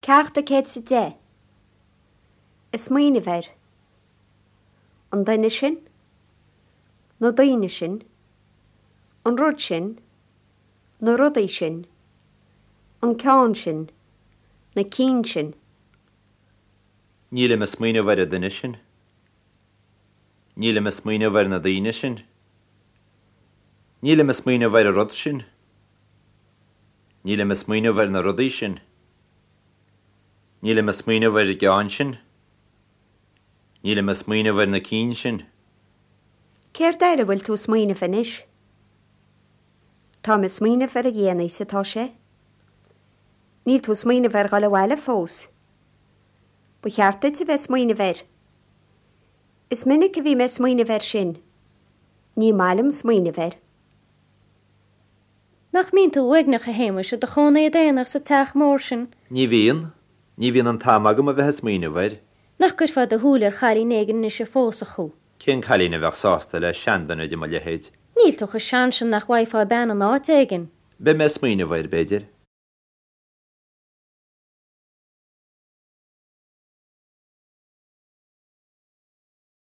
Ceacht 110. Ag smaoineamh air. An duine sin. Na daoine sin. An rud sin. Na rudaí sin. An ceann sin. Na cinn sin. Nílim ag smaoineamh ar an duine sin. Nílim ag smaoineamh ar na daoine sin. Nílim ag smaoineamh ar an rud sin. Nílim ag smaoineamh ar na rudaí sin. Nílim ag smaoineamh ar an gceann sin. Nílim ag smaoineamh ar na cinn sin. Céard air a bhfuil tú ag smaoineamh anois? Táim ag smaoineamh ar a dhéanaí is atá sé. Níl tú ag smaoineamh ar dhul abhaile fós. Ba cheart duit a bheith ag smaoineamh air. Is minic a bhí mé ag smaoineamh air sin. Ní maith liom smaoineamh air. Nach mbíonn tú uaigneach, a Shéamuis, i do chónaí i d'aonar sa teach mór sin? Ní bhíonn. Ní bhíonn an t-am agam a bheith ag smaoineamh air. Nach gcuirfeá do shúil ar chailín éigin anois a phósfadh thú? Cén cailín a bheadh sásta le seanduine de mo leithéid? Níl tú chomh sean sin nach bhfaighfeá bean in áit éigin. Beidh mé ag smaoineamh air, b'fhéidir.